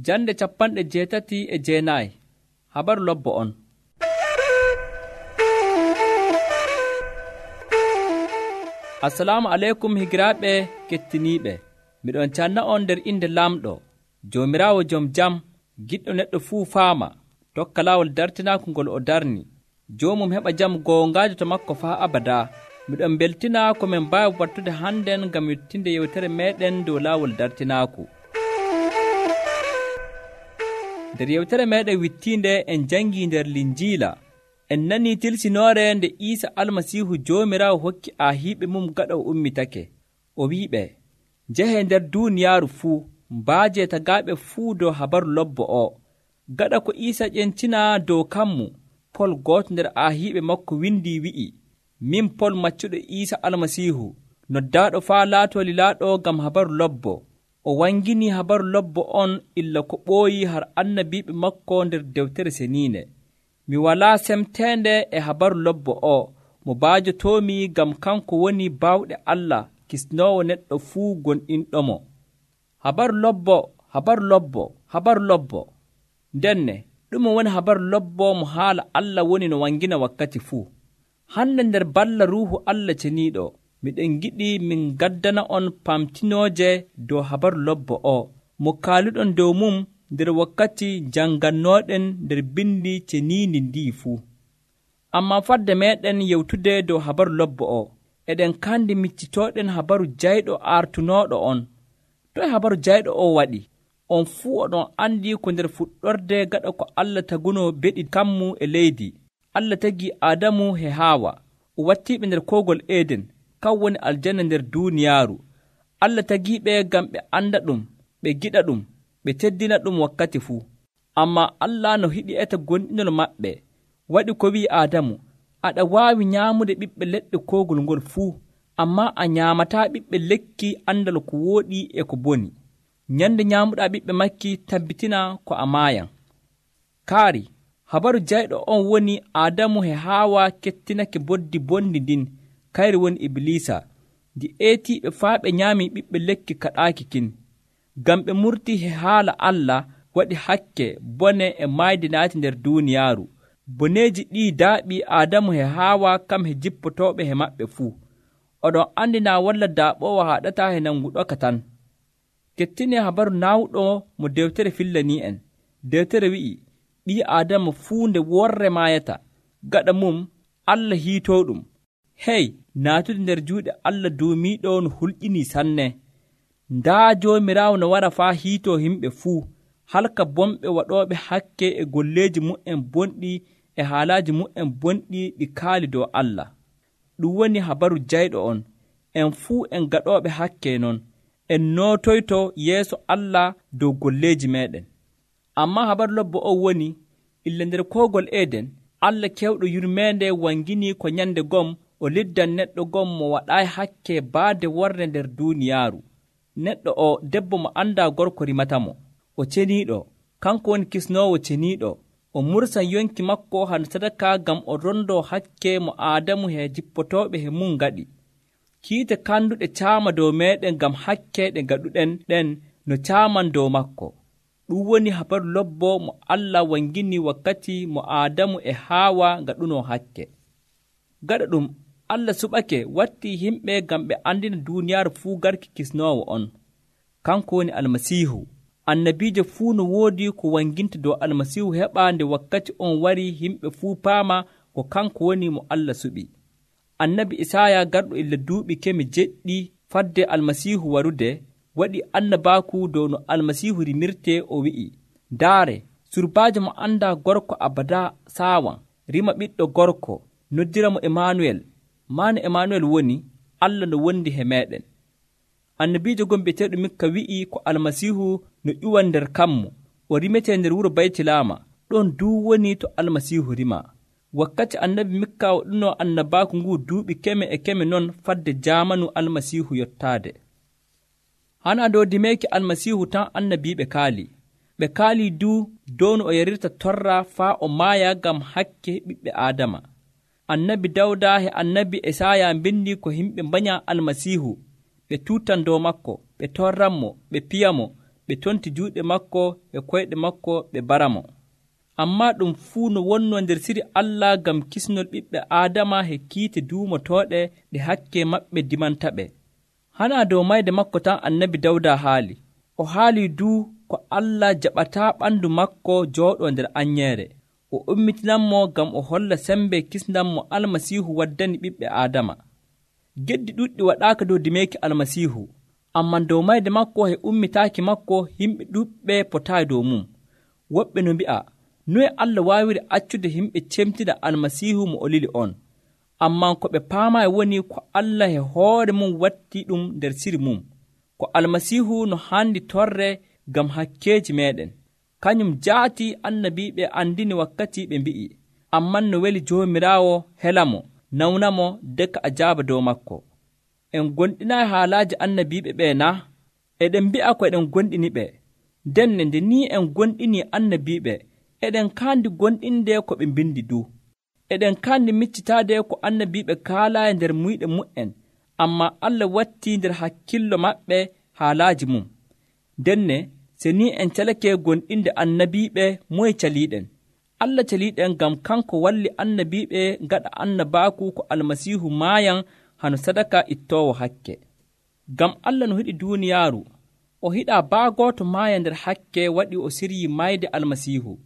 Jande 89 habaru lobbo on. Assalamu alaikum higiraaɓe kettiniiɓe. Miɗon canna on nder inde lamɗo, Joomiraawo jom jam, giɗɗo neɗɗo fuu faama, tokka laawol dartinaaku ngol o darni. Joomum heɓa jam goongaajo to makko faa abadaa. Miɗon beltina ko min mbaawi wattude hannden ngam wittinde yewtere meeɗen dow laawol dartinaaku. Nder yewtere meeɗen wittiinde en jangii nder Linjiila. En nanii tilsinoore nde Iisa Almasiihu Joomiraawo hokki aahiiɓe mum gaɗa o ummitake. O wi'iɓe, njehee nder duuniyaaru fuu, mbaajee tagaaɓe fuu dow habaru lobbo o. Gaɗa ko Iisa ƴencinaa dow kammu, Pol gooto nder aahiiɓe makko windii wi'i, min Pol maccuɗo Iisa Almasiihu, noddaaɗo faa laatoo lilaaɗo ngam habaru lobbo. O wanginii habaru lobbo on illa ko ɓooyii har annabiiɓe makko nder Deftere Seniinde. Mi walaa semteende e habaru lobbo o mo baajotoomi ngam kanko woni baawɗe Allah kisnoowo neɗɗo fuu gonɗinɗomo. Habaru lobbo, habaru lobbo, habaru lobbo. Ndenne, ɗume woni habaru lobbo mo haala Allah woni no wangina wakkati fuu. Hande nder balla Ruuhu Allah ceniiɗo, miɗen giɗi min gaddana on pamtinooje dow habaru lobbo o, mo kaaluɗon dow mum nder wakkati jangannooɗen nder bindi ceniindi ndi fuu. Amma fadde meeɗen yewtude dow habaru lobbo o, eɗen kandi miccitooɗen habaru jayɗo artunooɗo on. Toy habaru jayɗo o waɗi? On fuu oɗon andi ko nder fuɗɗorde gaɗa ko Allah tagunoo beɗi kammu e leydi. Allah tagii Aadamu e Haawa, o wattiiɓe nder koogol Eden, kan woni aljanna nder duuniyaaru. Allah tagiiɓe ngam ɓe anda ɗum, ɓe giɗa ɗum, ɓe teddina ɗum wakkati fuu. Amma Allah no hiɗi eta gonɗinol maɓɓe, waɗi ko wi'i Aadamu, aɗa waawi nyaamude ɓiɓɓe leɗɗe koogol ngol fuu, ammaa a nyaamataa ɓiɓɓe lekki andal ko wooɗi e ko boni. Nyande nyaamuɗaa ɓiɓɓe makki tabbitina ko a maayan. Kaari, habaru jayɗo on woni Aadamu e Haawa kettinake boddi bondi ndin, kayri woni Ibliisa, ndi eetiiɓe faa ɓe nyaamii ɓiɓɓe lekki kaɗaaki kin. Ngam ɓe murtii e haala Allah waɗi hakke bone e maayde naati nder duuniyaaru. Boneeji ɗii daaɓii Aadamu e Haawa kam e jippotooɓe e maɓɓe fuu. Oɗon andinaa walla daaɓoowo haɗataa e nanguɗoka tan. Kettinee habaru naawuɗo mo dewtere fillanii en. Dewtere wi'i, ɓii Aadama fuu nde worre maayata, gaɗa mum Allah hiitoo ɗum. Hey, naatude nder juuɗe Allah duumiiɗo no hulƴinii sanne. Ndaa Joomiraawo no wara faa hiitoo himɓe fuu, halka bonɓe waɗooɓe hakke e golleeji mu'en bonɗi e haalaaji mu'en bonɗi ɗi kaali dow Allah. Ɗum woni habaru jayɗo on. En fuu en gaɗooɓe hakke non, en nootoyto yeeso Allah dow golleeji meeɗen. Ammaa habaru lobbo on woni, illa nder koogol Eden, Allah kewɗo yurmeende wanginii ko nyande gom o liddan neɗɗo gom mo waɗaayi hakke baade worre nder duuniyaaru. Neɗɗo o debbo mo anndaa gorko rimatamo, o ceniiɗo, kanko woni kisnoowo ceniiɗo, o mursan yonki makko han sadaka ngam o rondoo hakke mo Aadamu e jippotooɓe e mum ngaɗi. Kiite kanduɗe caama dow meeɗen ngam hakke ɗe ngaɗuɗen ɗen no caaman dow makko. Ɗum woni habaru lobbo mo Allah wangini wakkati mo Aadamu e Haawa ngaɗunoo hakke. Gaɗa ɗum Allah suɓake wattii himɓe ngam ɓe andina duuniyaaru fuu garki kisnoowo on. Kanko woni Almasiihu. Annabiijo fuu no woodi ko wanginta dow Almasiihu heɓaa nde wakkati on wari himɓe fuu paama ko kanko woni mo Allah suɓi. Annabi Isaaya garɗo illa duuɓi kemi jeɗɗi fadde Almasiihu warude waɗi annabaaku dow no Almasiihu rimirtee o wi'i, ndaare, surbaajo mo anndaa gorko abada saawan, rima ɓiɗɗo gorko, noddira mo Emanuel. Maana Emanuel woni Allah no wondi he meeɗen. Annabiijo gon bi'eteeɗo Mikka wi'i ko Almasiihu no ƴuwan nder kammu, o rimetee nder wuro Baytilama, ɗon duu woni to Almasiihu rima. Wakkati annabi Mikka waɗunoo annabaaku ngu duuɓi keme e keme non fadde jaamanu Almasiihu yottaade. Hana dow dimeeki Almasiihu tan annabiiɓe kaali. Ɓe kaalii duu dow no o yarirta torra faa o maaya ngam hakke ɓiɓɓe Aadama. Annabi Dawda e annabi Esaya mbindi ko yimɓe mbanya Almasiihu, ɓe tuutan dow makko, ɓe torranmo, ɓe piyamo, ɓe tonti juuɗe makko e koyɗe makko ɓe baramo. Ammaa ɗum fuu no wonnoo nder siri Allah ngam kisnol ɓiɓɓe Aadama he kiite duumotooɗe ɗe hakke maɓɓe dimantaɓe. Hanaa dow mayde makko tan annabi Dawda haali. O haalii duu ko Allah jaɓataa ɓandu makko jooɗoo nder anyeere. O ummitinanmo ngam o holla sembe kisndam mo Almasiihu waddani ɓiɓɓe Aadama. Geddi ɗuɗɗi waɗaaka dow dimeeki Almasiihu, ammaa dow mayde makko he ummitaaki makko yimɓe ɗuɗɓe potaayi dow mum. Woɓɓe no mbi'a, noye Allah waawiri accude yimɓe cemtida Almasiihu mo o lili on? Ammaa ko ɓe paamaayi woni ko Allah he hoore mum wattii ɗum nder siri mum, ko Almasiihu no haandi torre ngam hakkeeji meeɗen. Kañum jaati annabiiɓe andini wakkati ɓe mbi'i, amman no weli Joomiraawo helamo, nawnamo deka ajaaba dow makko. En gonɗinaayi haalaaji annabiiɓe ɓee na? Eɗen mbi'a ko eɗen gonɗini ɓe. Denne nde ni en gonɗinii annabiiɓe, eɗen kaandi gonɗinde ko ɓe mbindi du. Eɗen kaandi miccitaade ko annabiiɓe kaalaayi nder muyɗe mu'en, ammaa Allah wattii nder hakkillo maɓɓe haalaaji mum. Denne se ni en calake gonɗinde annabiiɓe, moye caliiɗen? Allah caliiɗen ngam kanko walli annabiiɓe ngaɗa annabaaku ko Almasiihu maayan hano sadaka ittoowo hakke. Ngam Allah no hiɗi duuniyaaru, o hiɗaa baagooto maaya nder hakke waɗi o siryii mayde Almasiihu.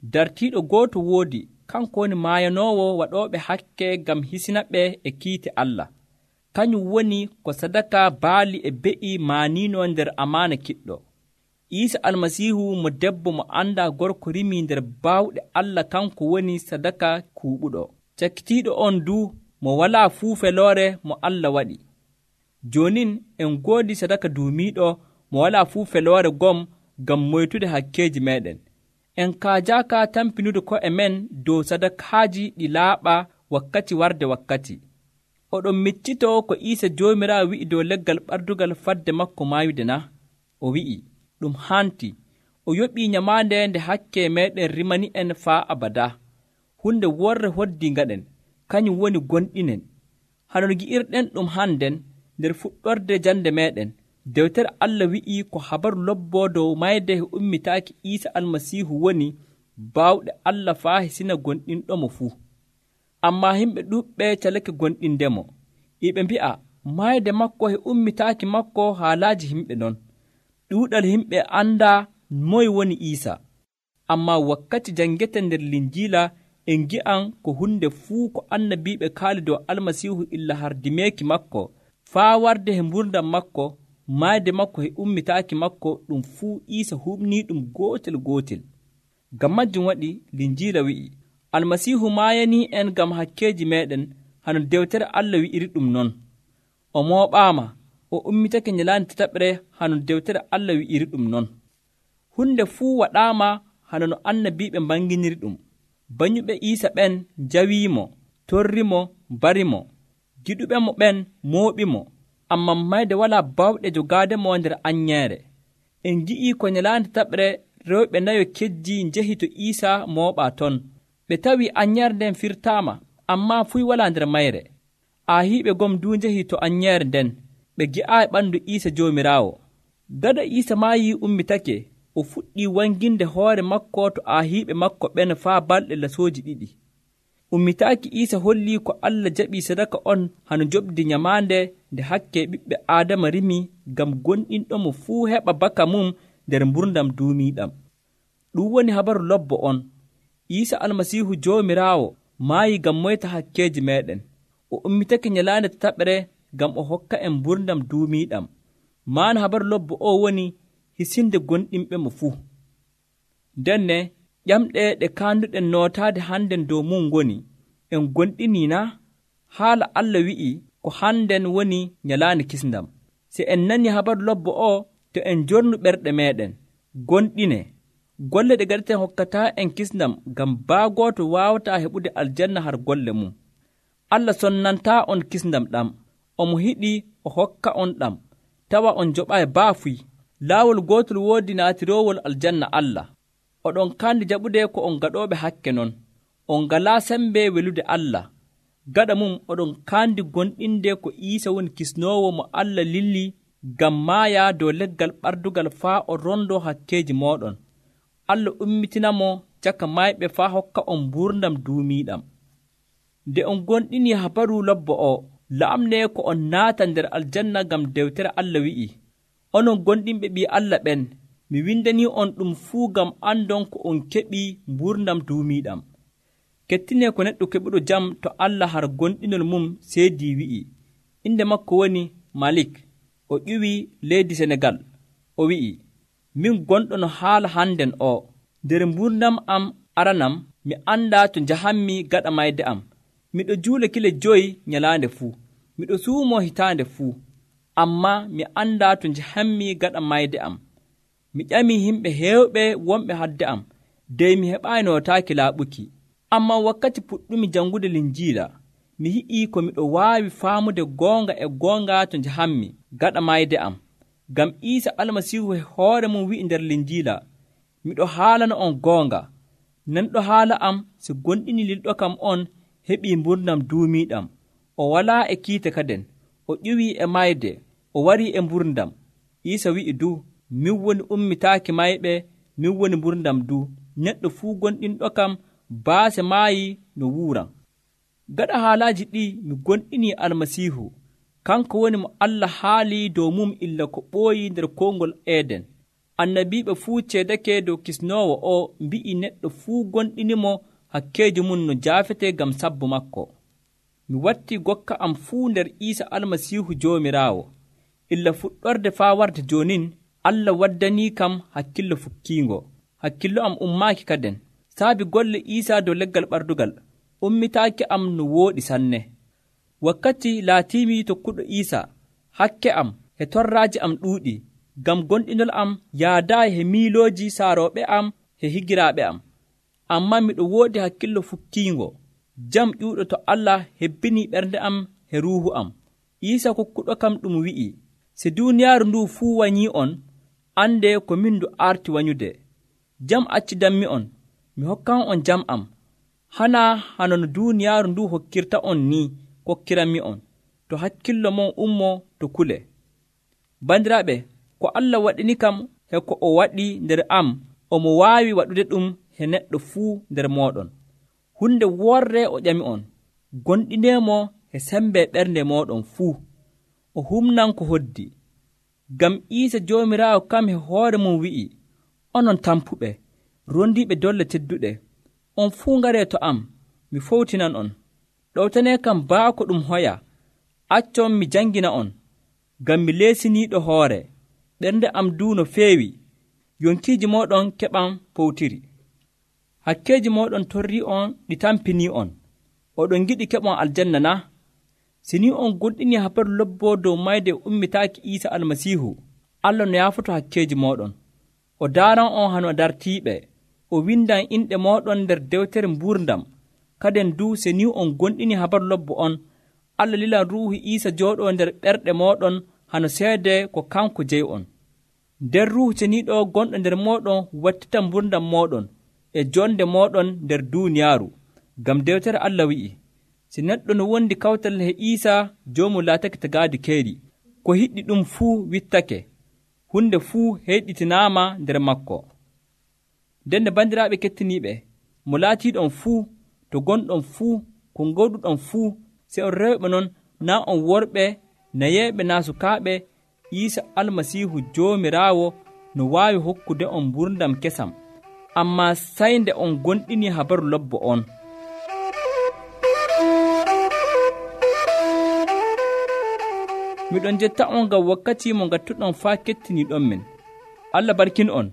Dartiiɗo gooto woodi, kanko woni maayanoowo waɗooɓe hakke ngam hisinaɓe e kiite Allah. Kañum woni ko sadaka baali e be'i maaniino nder amaana kiɗɗo. Iisa Almasiihu mo debbo mo anndaa gorko rimii nder baawɗe Allah kanko woni sadaka kuuɓuɗo. Cakkitiiɗo on du mo walaa fuu feloore mo Allah waɗi. Joonin en ngoodi sadaka duumiiɗo mo walaa fuu feloore gom ngam moytude hakkeeji meeɗen. En kaajaaka tampinude ko'e men dow sadakaaji ɗi laaɓa wakkati warde wakkati. Oɗon miccitoo ko Iisa Joomiraawo wi'i dow leggal ɓardugal fadde makko maayude na? O wi'i, ɗum hanti, o yoɓii nyamaande nde hakke meeɗen rimani en faa abada. Hunde worre hoddii ngaɗen, kañum woni gonɗinen. Hanon gi'irɗen ɗum hannden nder fuɗɗorde jande meeɗen. Dewtere Allah wi'ii ko habaru lobboo dow mayde e ummitaaki Iisa Almasiihu woni baawɗe Allah faa hisina gonɗinɗomo fuu. Ammaa yimɓe ɗuuɓɓe calake gonɗindemo. Iɓe mbi'a, mayde makko e ummitaaki makko haalaaji yimɓe non. Ɗuuɗal yimɓe anndaa moye woni Iisa. Ammaa wakkati janngeten nder Linjiila en ngi'an ko hunde fuu ko annabiiɓe kaali dow Almasiihu illa hardimeeki makko faa warde he mburdam makko, mayde makko e ummitaaki makko, ɗum fuu Iisa huɓnii ɗum gootel. Ngam majjum waɗi Linjiila wi'i, Almasiihu maayanii en ngam hakkeeji meeɗen, hano dewtere Allah wi'iri ɗum non. O mooɓaama, o ummitake nyalaande tataɓre, hano dewtere Allah wi'iri ɗum non. Hunde fuu waɗaama hano no annabiiɓe mbanginiri ɗum. Banyuɓe Iisa ɓen njawiimo, torrimo, barimo. Giɗuɓe mo ɓen mooɓimo, ammaa mayde walaa baawɗe jogaademo nder anyeere. En ngi'ii ko nyalaande tataɓre rewɓe nayo kejji njehi to Iisa mooɓaa ton. Ɓe tawii anyeere nden firtaama, ammaa fuy walaa nder mayre. Aahiiɓe gom du njehi to anyeere nden, ɓe gi'aayi ɓanndu Iisa Joomiraawo. Gada Iisa maayii ummitake, o fuɗɗii wanginde hoore makko to aahiiɓe makko ɓen faa balɗe lasooji 2. Ummitaaki Iisa hollii ko Allah jaɓii sadaka on hano joɓdi nyamaande nde hakke ɓiɓɓe Aadama rimi ngam gonɗinɗomo fuu heɓa baka mum nder mburdam duumiiɗam. Ɗum woni habaru lobbo on. Iisa Almasiihu Joomiraawo maayi ngam moyta hakkeeji meeɗen. O ummitake nyalaande tataɓre ngam o hokka en mburdam duumiiɗam. Maana habaru lobbo o woni hisinde gonɗinɓe mo fuu. Denne ƴamɗe ɗe kaanduɗen nootaade hannden dow mum ngoni, en gonɗinii na? Haala Allah wi'i ko hannden woni nyalaande kisndam. Se en nani habaru lobbo o, to en jornu ɓerɗe meeɗen, gonɗine. Golle ɗe gaɗeten hokkataa en kisndam ngam baagooto waawataa heɓude aljanna har golle mum. Allah sonnantaa on kisndam ɗam, omo hiɗi o hokka on ɗam, tawa on joɓaayi baafuy. Laawol gootol woodi naatiroowol aljanna Allah. Oɗon kaandi jaɓude ko on gaɗooɓe hakke non. On ngalaa sembe welude Allah. Gaɗa mum oɗon kaandi gonɗinde ko Iisa woni kisnoowo mo Allah lilli ngam maaya dow leggal ɓardugal faa o rondo hakkeeji mooɗon. Allah ummitinamo caka mayɓe faa hokka on mburdam duumiiɗam. Nde on gonɗini habaru lobbo o, la'amne ko on naata nder aljanna ngam dewtere Allah wi'i, onon gonɗinɓe ɓii Allah ɓen, mi windanii on ɗum fuu ngam andon ko on keɓii mburdam duumiiɗam. Kettinee ko neɗɗo keɓuɗo jam to Allah har gonɗinol mum seedii wi'i. Inde makko woni Malik. O ƴiwi leydi Senegal. O wi'i, min gonɗo no haala hannden o, nder mburdam am aranam mi anndaa to njahammi gaɗa mayde am. Miɗo juula kile 5 nyalaande fuu, miɗo suumoo hitaande fuu, ammaa mi anndaa to njahammi gaɗa mayde am. Mi ƴamii yimɓe heewɓe wonɓe hadde am, dey mi heɓaayi nootaaki laaɓuki. Ammaa wakkati puɗɗumi janngude Linjiila, mi yi'ii ko miɗo waawi faamude goonga to njahammi gaɗa mayde am. Ngam Iisa Almasiihu hoore mum wi'i nder Linjiila, miɗo haalana on goonga, nanɗo haala am so gonɗini lilɗo kam on heɓii mburdam duumiiɗam. O walaa e kiite kaden, o ƴiwii e mayde, o warii e mburdam. Iisa wi'i du, min woni ummitaaki mayɓe, min woni mburdam du. Neɗɗo fuu gonɗinɗo kam baase maayi no wuuran. Gaɗa haalaaji ɗi mi gonɗinii Almasiihu, kanko woni mo Allah haalii dow mum illa ko ɓooyi nder kowngol Eeden. Annabiiɓe fuu ceedake dow kisnoowo o mbi'i neɗɗo fuu gonɗinimo hakkeeji mum no jaafete ngam sabbu makko. Mi wattii gokka am fuu nder Iisa Almasiihu Joomiraawo. Illa fuɗɗorde faa warde joonin, Allah waddanii kam hakkillo fukkiingo. Hakkillo am ummaaki kaden. Saabi golle Iisa dow leggal ɓardugal, ummitaaki am no wooɗi sanne. Wakkati laatiimi tokkuɗo Iisa, hakke am e torraaji am ɗuuɗi, ngam gonɗinol am yaadaayi he miilooji saarooɓe am e higiraaɓe am. Ammaa miɗo woodi hakkillo fukkiingo. Jam ƴuuɗo to Allah hebbinii ɓernde am e ruuhu am. Iisa kokkuɗo kam ɗum wi'i, si duuniyaaru ndu fuu wanyii on, ande ko min ndu arti wanyude. Jam accidanmi on, mi hokkan on jam am. Hana hano no duuniyaaru ndu hokkirta on ni kokkiranmi on, to hakkillo mon ummo to kule. Bandiraaɓe, ko Allah waɗini kam he ko o waɗi nder am, omo waawi waɗude ɗum he neɗɗo fuu nder mooɗon. Hunde worre o ƴami on, gonɗineemo he sembe ɓernde mooɗon fuu. O humnan ko hoddi. Ngam Iisa Joomiraawo kam he hoore mum wi'i, onon tampuɓe, rondiiɓe dolle tedduɗe, on fuu ngaree to am, mi fowtinan on. Ɗowtanee kam baako ɗum hoya, accon mi jangina on, ngam mi leesiniiɗo hoore, ɓernde am duu no feewi, yonkiiji mooɗon keɓan powtiri. Hakkeeji mooɗon torrii on ɗi tampinii on, oɗon giɗi keɓon aljanna na? Si ni on gonɗinii habaru lobboo dow mayde ummitaaki Iisa Almasiihu, Allah no yaafoto hakkeeji mooɗon. O daaran on hano dartiiɓe, o windan inɗe mooɗon nder dewtere mburdam. Kaden du se ni on gonɗini habaru lobbo on, Allah lilan ruuhu Iisa jooɗoo nder ɓerɗe mooɗon hano seede ko kanko jeyi on. Nder ruuhu ceniiɗo gonɗo nder mooɗon wattita mburdam mooɗon e jonde mooɗon nder duuniyaaru. Ngam dewtere Allah wi'i, si neɗɗo no wondi kawtal he Iisa joomum laatake tagaadi keeri, ko hiɗɗi ɗum fuu wittake, hunde fuu heyɗitinaama nder makko. Ndende bandiraaɓe kettiniiɓe, mo laatiiɗon fuu, to gonɗon fuu, ko ngawɗuɗon fuu, se on rewɓe non, naa on worɓe, nayeeɓe naa sukaaɓe, Iisa Almasiihu Joomiraawo no waawi hokkude on mburdam kesam, ammaa sey nde on gonɗinii habaru lobbo on. Miɗon jetta on ngam wakkati mo ngattuɗon faa kettiniiɗon men. Allah barkin on.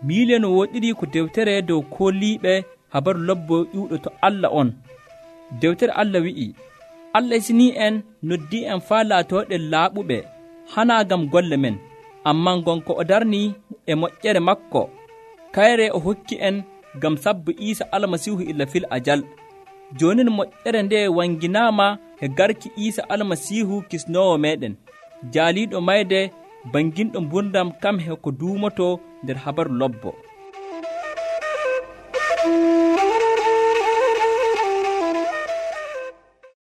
Miile no woɗɗiri ko dewtere dow kooliiɓe habaru lobbo ƴuuɗo to Allah on. Dewtere Allah wi'i, Allah isinii en noddii en faa laatooɗen laaɓuɓe, hanaa ngam golle men, ammaa gonko o darnii e moƴƴere makko. Kayre o hokki en ngam sabbu Iisa Almasiihu illa fil ajal. Jooni moƴƴere nde wanginaama e garki Iisa Almasiihu kisnoowo meeɗen, jaaliiɗo mayde banginɗo mburdam kam he ko duumoto nder habaru lobbo.